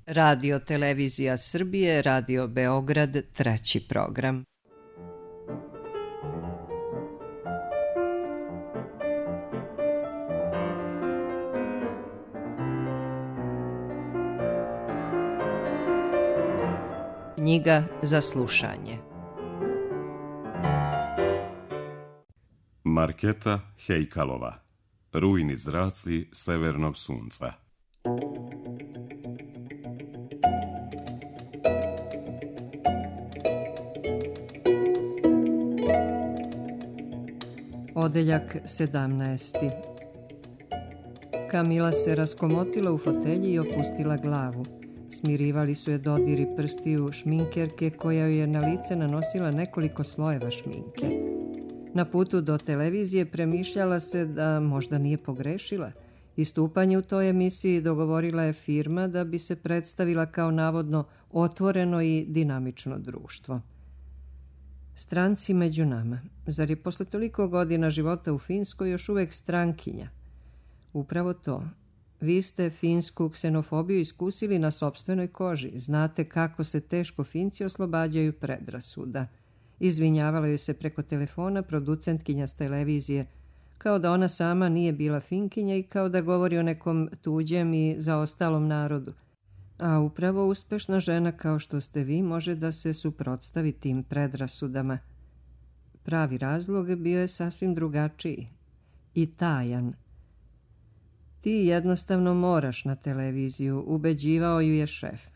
Radio Televizija Srbije, Radio Beograd, treći program. Knjiga za slušanje. Marketa Hejkalova. Rujni zraci severnog sunca. Odeljak 17. Kamila se raskomotila u fotelji i opustila glavu. Smirivali su je dodiri prstiju šminkerke koja joj je na lice nanosila nekoliko slojeva šminke. Na putu do televizije premišljala se da možda nije pogrešila. Istupanje u toj emisiji dogovorila je firma da bi se predstavila kao navodno otvoreno i dinamično društvo. Stranci među nama. Zar je posle toliko godina života u Finskoj još uvek strankinja? Upravo to. Vi ste finsku ksenofobiju iskusili na sopstvenoj koži. Znate kako se teško Finci oslobađaju predrasuda. Izvinjavala joj se preko telefona producentkinja s televizije, kao da ona sama nije bila Finkinja i kao da govori o nekom tuđem i zaostalom narodu. A upravo uspešna žena kao što ste vi može da se suprotstavi tim predrasudama. Pravi razlog bio je sasvim drugačiji i tajan. Ti jednostavno moraš na televiziju, ubeđivao ju je šef.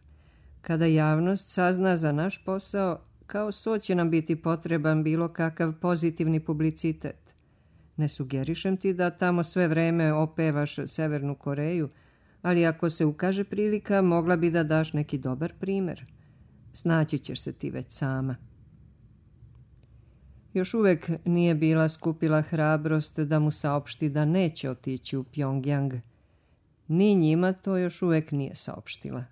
Kada javnost sazna za naš posao, kao so će nam biti potreban bilo kakav pozitivni publicitet. Ne sugerišem ti da tamo sve vreme opevaš Severnu Koreju, ali ako se ukaže prilika, mogla bi da daš neki dobar primer. Snaći ćeš se ti već sama. Još uvek nije bila skupila hrabrost da mu saopšti da neće otići u Pjongjang. Ni njima to još uvek nije saopštila.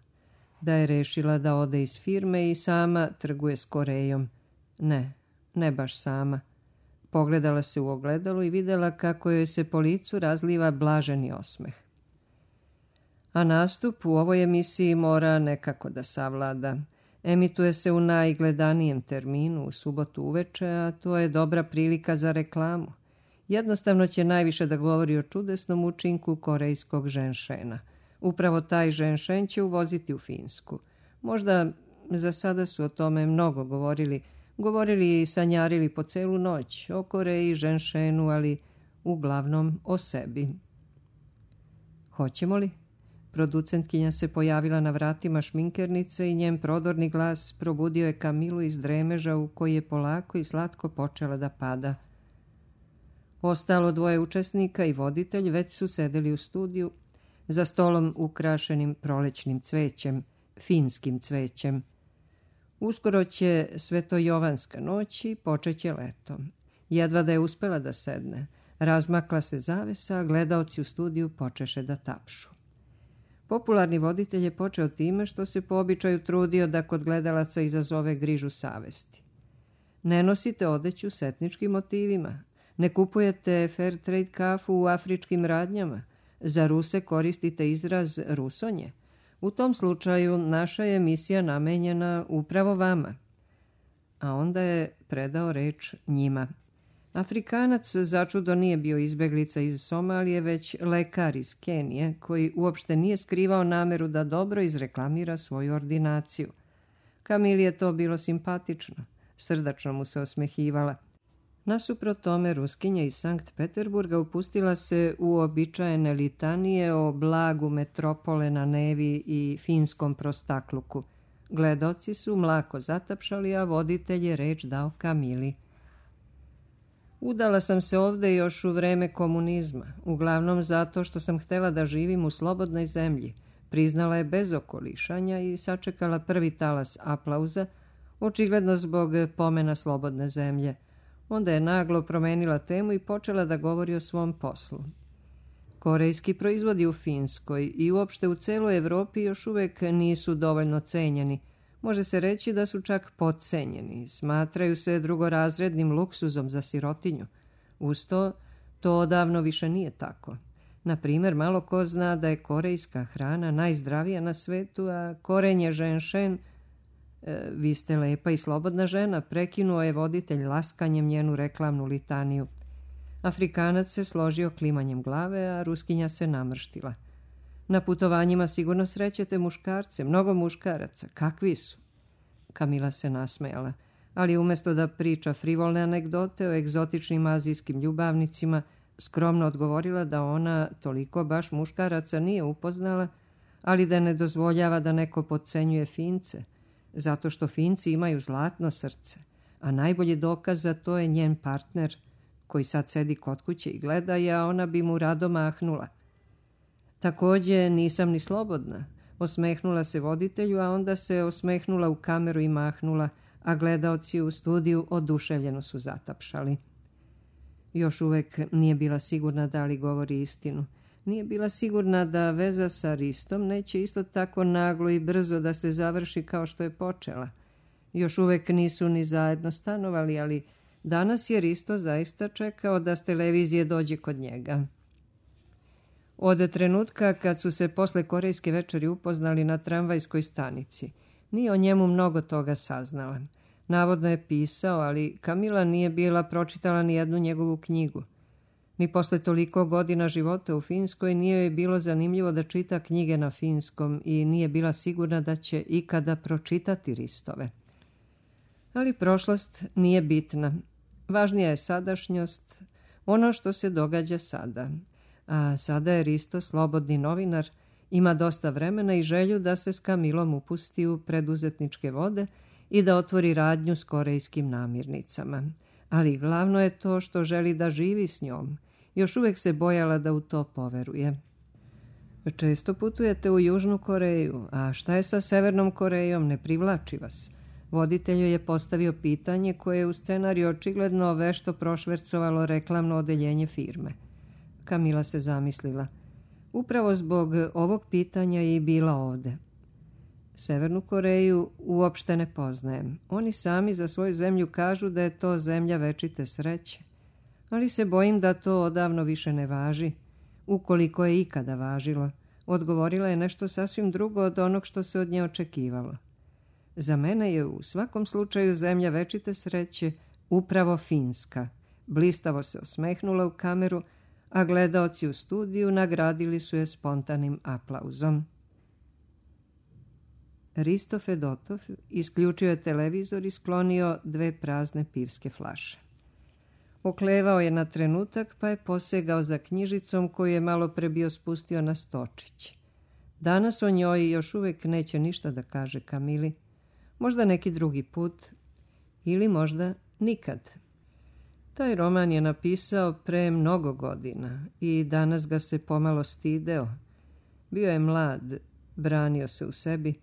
Da je rešila da ode iz firme i sama trguje s Korejom. Ne baš sama. Pogledala se u ogledalo i videla kako joj se po licu razliva blaženi osmeh. A nastup u ovoj emisiji mora nekako da savlada. Emituje se u najgledanijem terminu, u subotu uveče, a to je dobra prilika za reklamu. Jednostavno će najviše da govori o čudesnom učinku korejskog ženšena. Upravo taj ženšen će uvoziti u Finsku. Možda za sada su o tome mnogo govorili i sanjarili po celu noć o Koreji, ženšenu, ali uglavnom o sebi. Hoćemo li? Producentkinja se pojavila na vratima šminkernice i njen prodorni glas probudio je Kamilu iz dremeža u koji je polako i slatko počela da pada. Ostalo dvoje učesnika i voditelj već su sedeli u studiju, za stolom ukrašenim prolećnim cvećem, finskim cvećem. Uskoro će svetojovanska noć i počeće leto. Jedva da je uspela da sedne. Razmakla se zavesa, a gledaoci u studiju počeše da tapšu. Popularni voditelj je počeo time što se po običaju trudio da kod gledalaca izazove grižu savesti. Ne nosite odeću s etničkim motivima. Ne kupujete fair trade kafu u afričkim radnjama. Za Ruse koristite izraz rusonje. U tom slučaju naša je emisija namenjena upravo vama. A onda je predao reč njima. Afrikanac začudo nije bio izbeglica iz Somalije, već lekar iz Kenije, koji uopšte nije skrivao nameru da dobro izreklamira svoju ordinaciju. Kamili je to bilo simpatično. Srdačno mu se osmehivala. Nasuprot tome, Ruskinja iz Sankt Peterburga upustila se u običajene litanije o blagu metropole na Nevi i finskom prostakluku. Gledaoci su mlako zatapšali, a voditelj je reč dao Kamili. Udala sam se ovde još u vreme komunizma, uglavnom zato što sam htela da živim u slobodnoj zemlji. Priznala je bez okolišanja i sačekala prvi talas aplauza, očigledno zbog pomena slobodne zemlje. Onda je naglo promenila temu i počela da govori o svom poslu. Korejski proizvodi u Finskoj i uopšte u celoj Evropi još uvek nisu dovoljno cenjeni. Može se reći da su čak podcenjeni. Smatraju se drugorazrednim luksuzom za sirotinju. Uz to odavno više nije tako. Na primjer, malo ko zna da je korejska hrana najzdravija na svetu, a korenje ženšen, vi ste lepa i slobodna žena, prekinuo je voditelj laskanjem njenu reklamnu litaniju. Afrikanac se složio klimanjem glave, a Ruskinja se namrštila. Na putovanjima sigurno srećete muškarce, mnogo muškaraca. Kakvi su? Kamila se nasmejala, ali umjesto da priča frivolne anegdote o egzotičnim azijskim ljubavnicima, skromno odgovorila da ona toliko baš muškaraca nije upoznala, ali da ne dozvoljava da neko podcenjuje Fince, zato što Finci imaju zlatno srce, a najbolji dokaz za to je njen partner, koji sad sedi kod kuće i gleda je, a ona bi mu rado mahnula. Također nisam ni slobodna, osmehnula se voditelju, a onda se osmehnula u kameru i mahnula, a gledaoci u studiju oduševljeno su zatapšali. Još uvek nije bila sigurna da li govori istinu. Nije bila sigurna da veza sa Ristom neće isto tako naglo i brzo da se završi kao što je počela. Još uvek nisu ni zajedno stanovali, ali danas je Risto zaista čekao da s televizije dođe kod njega. Od trenutka kad su se posle korejske večeri upoznali na tramvajskoj stanici, nije o njemu mnogo toga saznala. Navodno je pisao, ali Kamila nije bila pročitala ni jednu njegovu knjigu. Ni posle toliko godina života u Finskoj nije joj bilo zanimljivo da čita knjige na finskom i nije bila sigurna da će ikada pročitati Ristove. Ali prošlost nije bitna. Važnija je sadašnjost, ono što se događa sada. A sada je Risto slobodni novinar, ima dosta vremena i želju da se s Kamilom upusti u preduzetničke vode i da otvori radnju s korejskim namirnicama. Ali glavno je to što želi da živi s njom. Još uvijek se bojala da u to poveruje. Često putujete u Južnu Koreju, a šta je sa Severnom Korejom, ne privlači vas? Voditelju je postavio pitanje koje je u scenariju očigledno vešto prošvercovalo reklamno odeljenje firme. Kamila se zamislila. Upravo zbog ovog pitanja je i bila ovde. Severnu Koreju uopšte ne poznajem. Oni sami za svoju zemlju kažu da je to zemlja večite sreće. Ali se bojim da to odavno više ne važi. Ukoliko je ikada važilo, odgovorila je nešto sasvim drugo od onog što se od nje očekivalo. Za mene je u svakom slučaju zemlja večite sreće upravo Finska. Blistavo se osmehnula u kameru, a gledaoci u studiju nagradili su je spontanim aplauzom. Risto Fedotov isključio je televizor i sklonio 2 prazne pivske flaše. Oklevao je na trenutak, pa je posegao za knjižicom koju je malo pre bio spustio na stočić. Danas o njoj još uvijek neće ništa da kaže Kamili. Možda neki drugi put ili možda nikad. Taj roman je napisao pre mnogo godina i danas ga se pomalo stideo. Bio je mlad, branio se u sebi,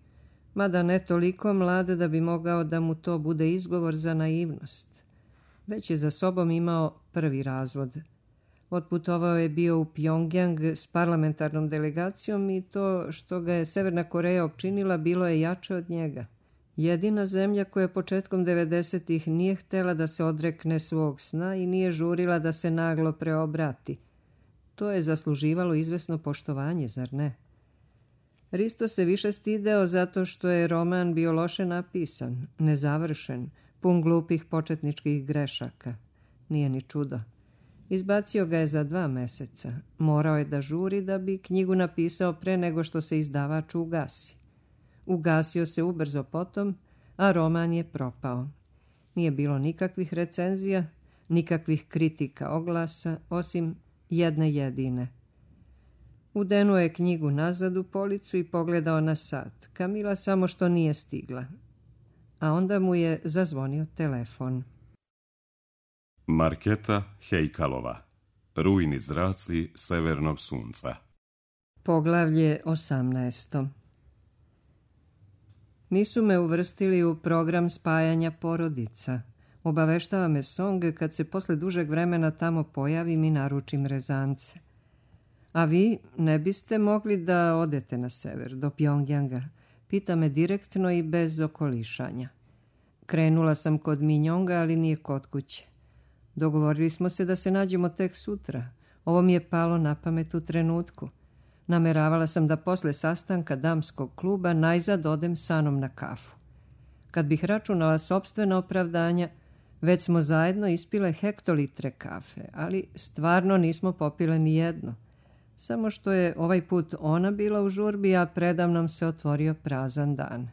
mada ne toliko mlad da bi mogao da mu to bude izgovor za naivnost. Već je za sobom imao prvi razvod. Otputovao je bio u Pjongjang s parlamentarnom delegacijom i to što ga je Severna Koreja opčinila bilo je jače od njega. Jedina zemlja koja početkom 90-ih nije htjela da se odrekne svog sna i nije žurila da se naglo preobrati. To je zasluživalo izvesno poštovanje, zar ne? Risto se više stideo zato što je roman bio loše napisan, nezavršen, pun glupih početničkih grešaka. Nije ni čudo. Izbacio ga je za 2 meseca. Morao je da žuri da bi knjigu napisao pre nego što se izdavač ugasi. Ugasio se ubrzo potom, a roman je propao. Nije bilo nikakvih recenzija, nikakvih kritika oglasa, osim jedne jedine. Udenuo je knjigu nazad u policu i pogledao na sat. Kamila samo što nije stigla. A onda mu je zazvonio telefon. Marketa Hejkalova. Rujni zraci severnog sunca. Poglavlje 18. Nisu me uvrstili u program spajanja porodica. Obaveštava me Song kad se posle dužeg vremena tamo pojavim i naručim rezance. A vi ne biste mogli da odete na sever, do Pjongjanga? Pita me direktno i bez okolišanja. Krenula sam kod Minjonga, ali nije kod kuće. Dogovorili smo se da se nađemo tek sutra. Ovo mi je palo na pamet u trenutku. Nameravala sam da posle sastanka damskog kluba najzad odem sa Anom na kafu. Kad bih računala sopstvena opravdanja, već smo zajedno ispile hektolitre kafe, ali stvarno nismo popile ni jedno. Samo što je ovaj put ona bila u žurbi, a predamnom se otvorio prazan dan.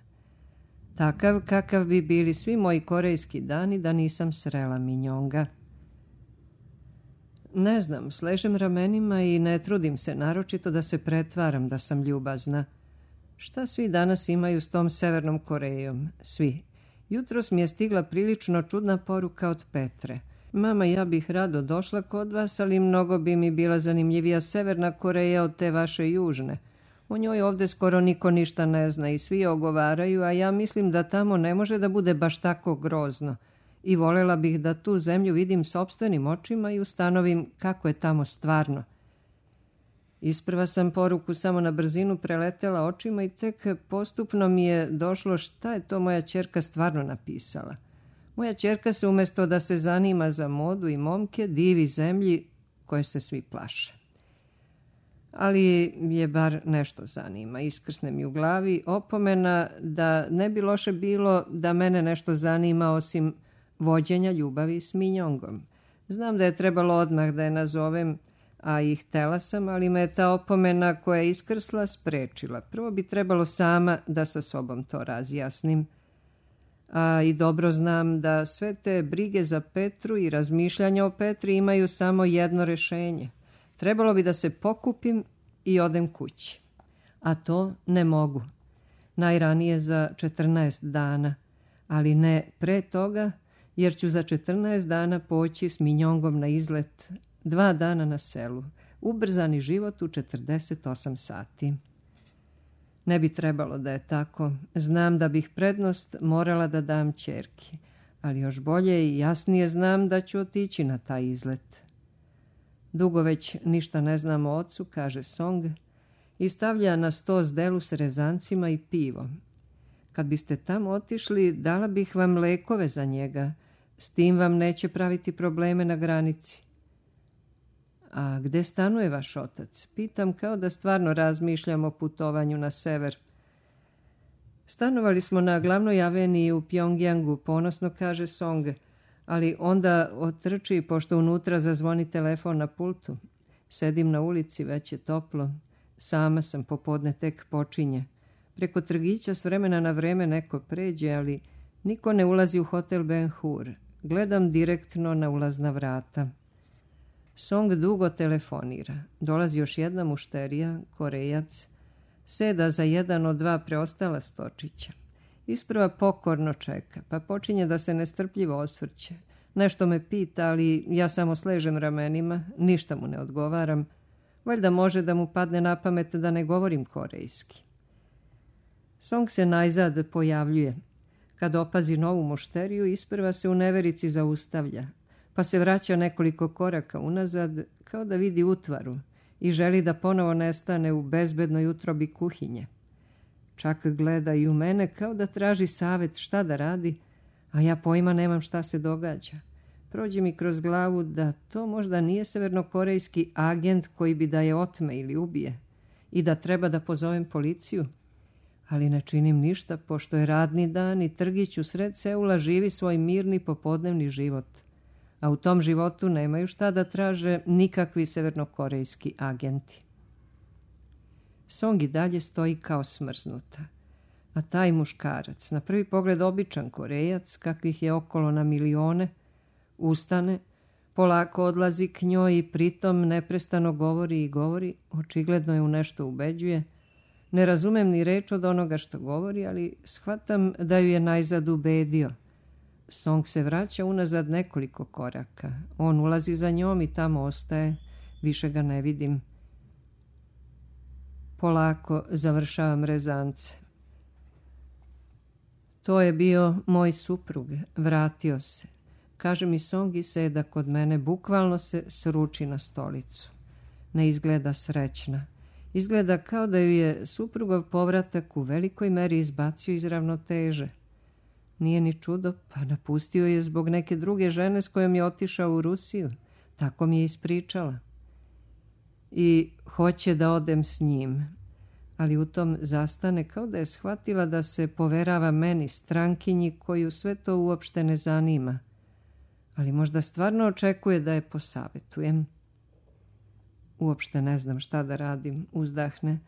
Takav kakav bi bili svi moji korejski dani da nisam srela Minjonga. Ne znam, sležem ramenima i ne trudim se naročito da se pretvaram da sam ljubazna. Šta svi danas imaju s tom Severnom Korejom? Svi. Jutros mi je stigla prilično čudna poruka od Petre. Mama, ja bih rado došla kod vas, ali mnogo bi mi bila zanimljivija Severna Koreja od te vaše južne. O njoj ovdje skoro niko ništa ne zna i svi ogovaraju, a ja mislim da tamo ne može da bude baš tako grozno. I voljela bih da tu zemlju vidim sopstvenim očima i ustanovim kako je tamo stvarno. Isprva sam poruku samo na brzinu preletela očima i tek postupno mi je došlo šta je to moja ćerka stvarno napisala. Moja ćerka se umjesto da se zanima za modu i momke divi zemlji koje se svi plaše. Ali je bar nešto zanima. Iskrsne mi u glavi opomena da ne bi loše bilo da mene nešto zanima osim vođenja ljubavi s Minjongom. Znam da je trebalo odmah da je nazovem, a i htela sam, ali me je ta opomena koja je iskrsla sprečila. Prvo bi trebalo sama da sa sobom to razjasnim. A i dobro znam da sve te brige za Petru i razmišljanja o Petri imaju samo jedno rješenje. Trebalo bi da se pokupim i odem kući. A to ne mogu. Najranije za 14 dana, ali ne pre toga, jer ću za 14 dana poći s Minjongom na izlet, 2 dana na selu, ubrzani život u 48 sati. Ne bi trebalo da je tako. Znam da bih prednost morala da dam ćerki, ali još bolje i jasnije znam da ću otići na taj izlet. Dugo već ništa ne znam o ocu, kaže Song, i stavlja na sto zdelu s rezancima i pivom. Kad biste tamo otišli, dala bih vam lekove za njega. S tim vam neće praviti probleme na granici. A gde stanuje vaš otac? Pitam kao da stvarno razmišljam o putovanju na sever. Stanovali smo na glavnoj aveniji u Pjongjangu, ponosno kaže Song, ali onda otrči pošto unutra zazvoni telefon na pultu. Sedim na ulici, već je toplo. Sama sam, popodne tek počinje. Preko trgića s vremena na vreme neko pređe, ali niko ne ulazi u hotel Ben Hur. Gledam direktno na ulazna vrata. Song dugo telefonira. Dolazi još jedna mušterija, Korejac. Seda za jedan od 2 preostala stočića. Isprva pokorno čeka, pa počinje da se nestrpljivo osvrće. Nešto me pita, ali ja samo sležem ramenima, ništa mu ne odgovaram. Valjda može da mu padne na pamet da ne govorim korejski. Song se najzad pojavljuje. Kad opazi novu mušteriju, isprva se u neverici zaustavlja, pa se vraća nekoliko koraka unazad, kao da vidi utvaru i želi da ponovo nestane u bezbednoj utrobi kuhinje. Čak gleda i u mene kao da traži savjet šta da radi, a ja pojma nemam šta se događa. Prođe mi kroz glavu da to možda nije severnokorejski agent koji bi da je otme ili ubije i da treba da pozovem policiju. Ali ne činim ništa, pošto je radni dan i trgić u sred Seula živi svoj mirni popodnevni život. A u tom životu nemaju šta da traže nikakvi severnokorejski agenti. Song i dalje stoji kao smrznuta. A taj muškarac, na prvi pogled običan Korejac, kakvih je okolo na milione, ustane, polako odlazi k njoj i pritom neprestano govori i govori, očigledno je u nešto ubeđuje. Ne razumem ni reč od onoga što govori, ali shvatam da ju je najzad ubedio. Song se vraća unazad nekoliko koraka. On ulazi za njom i tamo ostaje. Više ga ne vidim. Polako završavam rezance. To je bio moj suprug. Vratio se. Kaže mi Song i seda kod mene. Bukvalno se sruči na stolicu. Ne izgleda srećna. Izgleda kao da ju je suprugov povratak u velikoj meri izbacio iz ravnoteže. Nije ni čudo, pa napustio je zbog neke druge žene s kojom je otišao u Rusiju. Tako mi je ispričala. i hoće da odem s njim. Ali u tom zastane kao da je shvatila da se poverava meni, strankinji, koju sve to uopšte ne zanima. Ali možda stvarno očekuje da je posavetujem. Uopšte ne znam šta da radim, uzdahne.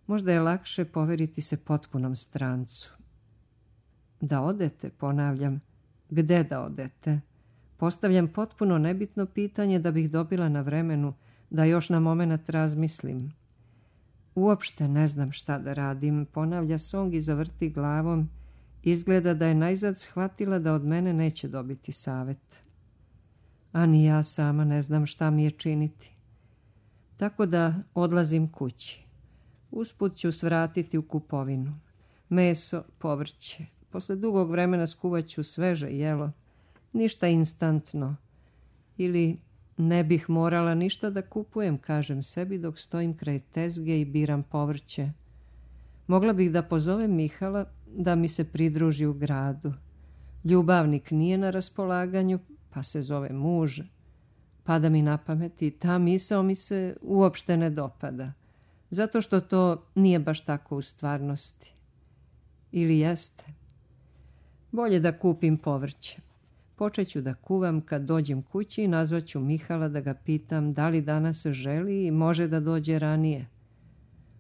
Možda je lakše poveriti se potpunom strancu. Da odete, ponavljam. Gde da odete? Postavljam potpuno nebitno pitanje da bih dobila na vremenu da još na momenat razmislim. Uopšte ne znam šta da radim, ponavlja Song i zavrti glavom. Izgleda da je najzad shvatila da od mene neće dobiti savet. A ni ja sama ne znam šta mi je činiti. Tako da odlazim kući. Usput ću svratiti u kupovinu. Meso, povrće. Posle dugog vremena skuvat ću sveže jelo. Ništa instantno. Ili ne bih morala ništa da kupujem, kažem sebi dok stojim kraj tezge i biram povrće. Mogla bih da pozovem Mihala da mi se pridruži u gradu. Ljubavnik nije na raspolaganju, pa se zove muž. Pada mi na pamet i ta misao mi se uopšte ne dopada. Zato što to nije baš tako u stvarnosti. Ili jeste? Bolje da kupim povrće. Počet ću da kuvam kad dođem kući i nazvaću Mihala da ga pitam da li danas želi i može da dođe ranije.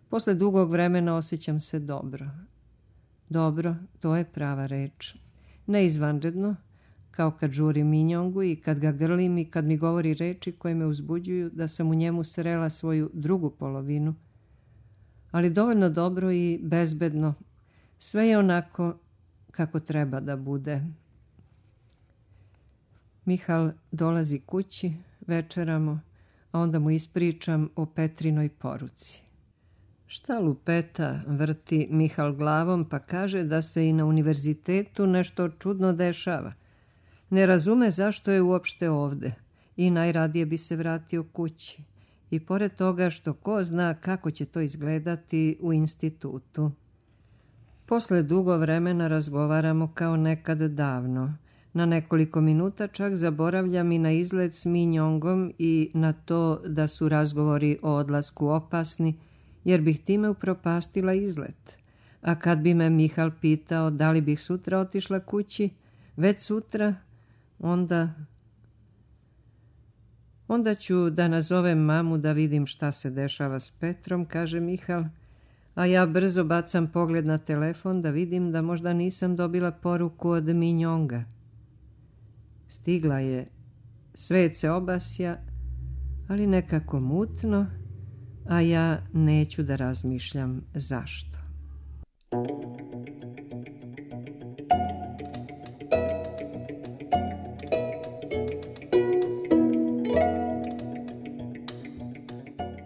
Posle dugog vremena osjećam se dobro. Dobro, to je prava reč. Ne izvanredno, kao kad žurim Minjongu i kad ga grlim i kad mi govori reči koje me uzbuđuju da sam u njemu srela svoju drugu polovinu. Ali dovoljno dobro i bezbedno. Sve je onako kako treba da bude. Mihal dolazi kući, večeramo, a onda mu ispričam o Petrinoj poruci. Šta lupeta, vrti Mihal glavom pa kaže da se i na univerzitetu nešto čudno dešava. Ne razume zašto je uopšte ovde i najradije bi se vratio kući. I pored toga što ko zna kako će to izgledati u institutu. Posle dugo vremena razgovaramo kao nekad davno. Na nekoliko minuta čak zaboravljam i na izlet s Minjongom i na to da su razgovori o odlasku opasni, jer bih time upropastila izlet. A kad bi me Mihal pitao da li bih sutra otišla kući, već sutra, onda ću da nazovem mamu da vidim šta se dešava s Petrom, kaže Mihal, a ja brzo bacam pogled na telefon da vidim da možda nisam dobila poruku od Minjonga. Stigla je, svet se obasja, ali nekako mutno, a ja neću da razmišljam zašto.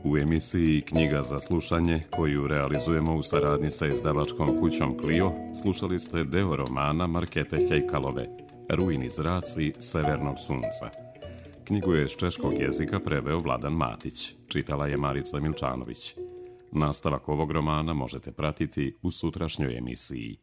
U emisiji Knjiga za slušanje, koju realizujemo u saradnji sa izdavačkom kućom Clio, slušali ste deo romana Markete Hejkalove, Rujni zraci severnog sunca. Knjigu je s češkog jezika preveo Vladan Matić, čitala je Marica Milčanović. Nastavak ovog romana možete pratiti u sutrašnjoj emisiji.